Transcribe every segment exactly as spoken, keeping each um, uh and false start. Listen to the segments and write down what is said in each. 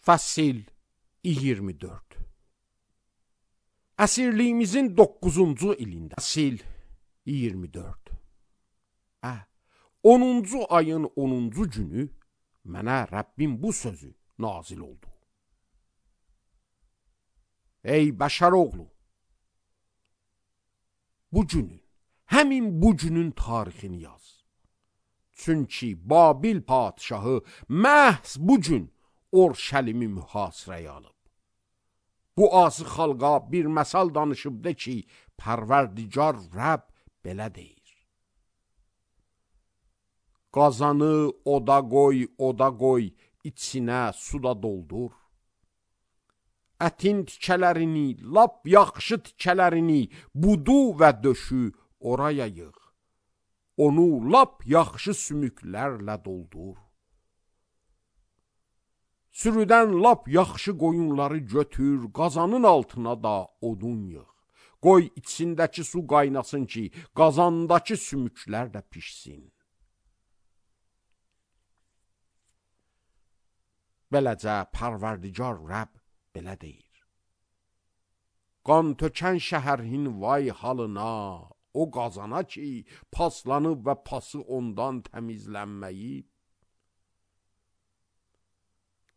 Fəsil iyirmi dörd. Əsirliyimizin doqquzuncu ilində, fəsil iyirmi dörd. Hə, onuncu ayın onuncu günü mənə Rəbbim bu sözü nazil oldu. Ey bəşər oğlu, bu günün, həmin bu günün tarixini yaz. Çünki Babil padişahı məhz bu gün Orşəlimi mühasirəyə alıb. Bu azı xalqa bir məsal danışıb de ki, Pərverdigar Rəbb belə deyir. Qazanı oda qoy, oda qoy, içinə suda doldur. Ətin tikələrini, lap yaxşı tikələrini, budu və döşü oraya yığ. Onu lap yaxşı sümüklərlə doldur. Sürüdən lap yaxşı qoyunları götür, qazanın altına da odun yığ. Qoy içindəki su qaynasın ki, qazandakı sümüklər də pişsin. Beləcə Pərverdigar Rəbb belə deyir. Qan tökən şəhərin vay halına, o qazana ki, paslanıb və pası ondan təmizlənməyib.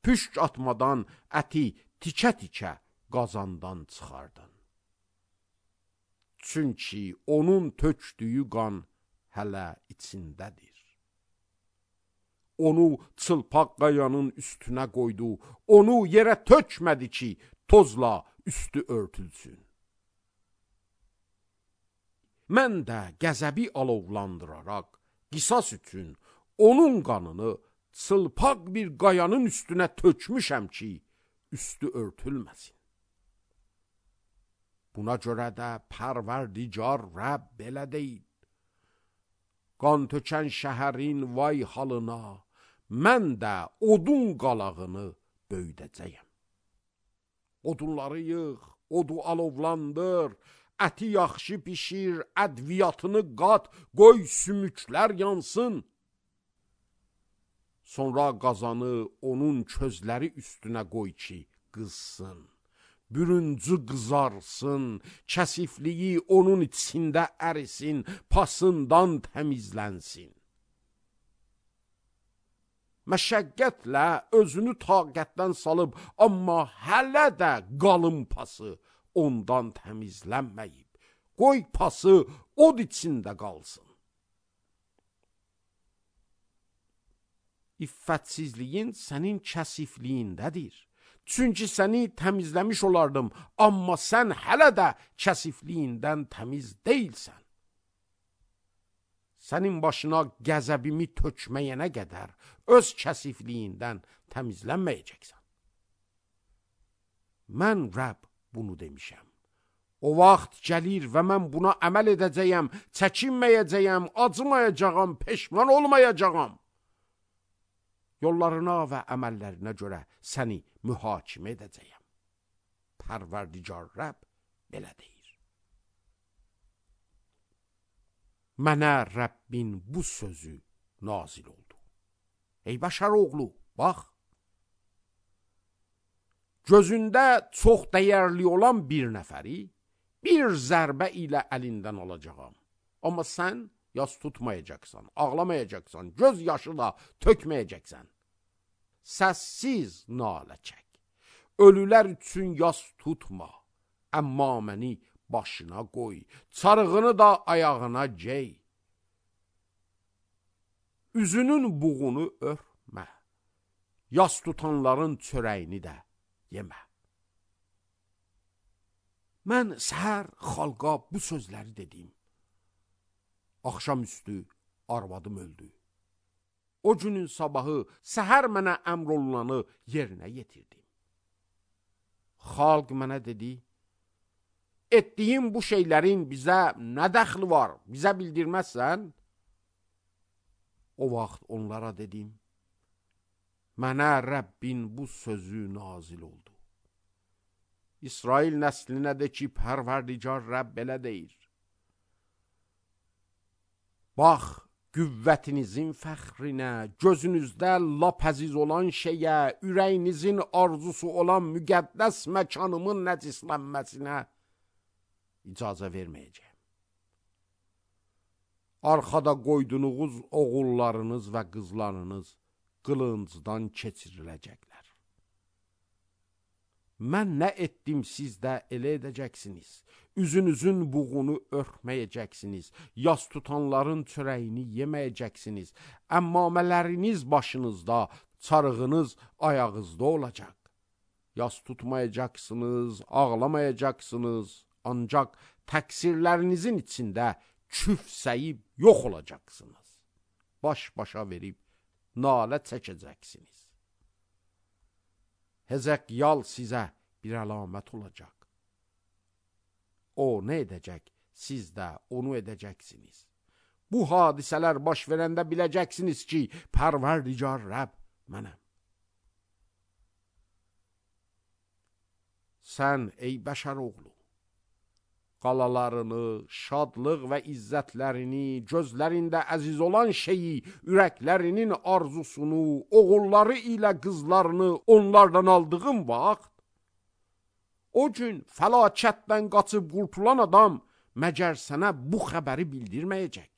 Püşk atmadan əti tikə-tikə qazandan çıxardın. Çünki onun tökdüyü qan hələ içindədir. Onu çılpaq qayanın üstünə qoydu, onu yerə tökmədi ki, tozla üstü örtülsün. Mən də qəzəbi alovlandıraraq, qisas üçün onun qanını çılpaq bir qayanın üstünə tökmüşəm ki, üstü örtülməsin. Buna görə də Pərverdigar Rəbb belə deyil. Qan tökən şəhərin vay halına, mən də odun qalağını böyüdəcəyəm. Odunları yığ, odu alovlandır, əti yaxşı pişir, ədviyyatını qat, qoy sümüklər yansın. Sonra qazanı onun közləri üstünə qoy ki, qızsın. Bürüncü qızarsın, kəsifliyi onun içində ərisin, pasından təmizlənsin. Məşəqqətlə özünü taqətdən salıb, amma hələ də qalın pası ondan təmizlənməyib. Qoy pası od içində qalsın. İffətsizliyin sənin kəsifliyindədir. Çünki səni təmizləmiş olardım, amma sən hələ də kəsifliyindən təmiz deyilsən. Sənin başına qəzəbimi tökməyənə qədər öz kəsifliyindən təmizlənməyəcəksən. Mən Rəbb bunu demişəm. O vaxt gəlir və mən buna əməl edəcəyəm, çəkinməyəcəyəm, acımayacağam, peşman olmayacağam. Yollarına və əməllərinə görə səni mühakimə edəcəyəm. Pərverdigar Rəbb belə deyir. Mənə Rəbbin bu sözü nazil oldu. Ey bəşər oğlu, bax. Gözündə çox dəyərli olan bir nəfəri bir zərbə ilə əlindən alacağam. Amma sən yas tutmayacaqsan, ağlamayacaqsan, göz yaşı da tökməyəcəksən. Səssiz nalə çək. Ölülər üçün yas tutma. Əmma məni başına qoy. Çarığını da ayağına gey. Üzünün buğunu örtmə. Yas tutanların çörəyini də yemə. Mən səhər xalqa bu sözləri dedim. Axşamüstü arvadım öldü. O günün sabahı səhər mənə əmr olunanı yerinə yetirdim. Xalq mənə dedi, etdiyin bu şeylərin bizə nə dəxli var, bizə bildirməzsən? O vaxt onlara dedim, mənə Rəbbin bu sözü nazil oldu. İsrail nəslinə də ki, Pərverdigar Rəbb belə deyir. Bax, qüvvətinizin fəxrinə, gözünüzdə lap əziz olan şeyə, ürəyinizin arzusu olan müqəddəs məkanımın nəcislənməsinə icazə verməyəcəm. Arxada qoyduğunuz oğullarınız və qızlarınız qılıncdan keçiriləcəklər. Mən nə etdim, siz də elə edəcəksiniz. Üzünüzün buğunu örtməyəcəksiniz. Yas tutanların çörəyini yeməyəcəksiniz. Əmmamələriniz başınızda, çarığınız ayağınızda olacaq. Yas tutmayacaqsınız, ağlamayacaqsınız. Ancaq təqsirlərinizin içində küfsəyib yox olacaqsınız. Baş-başa verib nalə çəkəcəksiniz. Hezekyal sizə bir əlamət olacaq. O nə edəcək, siz də onu edəcəksiniz. Bu hadisələr baş verəndə biləcəksiniz ki, Pərverdigar Rəbb mənəm. Sən ey bəşər oğlu, qalalarını, şadlıq və izzətlərini, gözlərində əziz olan şeyi, ürəklərinin arzusunu, oğulları ilə qızlarını onlardan aldığın vaxt, o gün fəlakətdən qaçıb qurtulan adam məgər sənə bu xəbəri bildirməyəcək.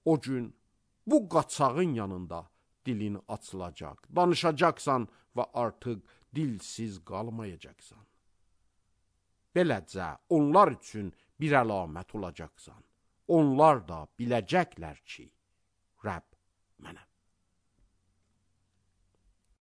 O gün bu qaçağın yanında dilin açılacaq, danışacaqsan və artıq dilsiz qalmayacaqsan. Beləcə onlar üçün bir əlamət olacaqsan. Onlar da biləcəklər ki, Rəbb mənəm.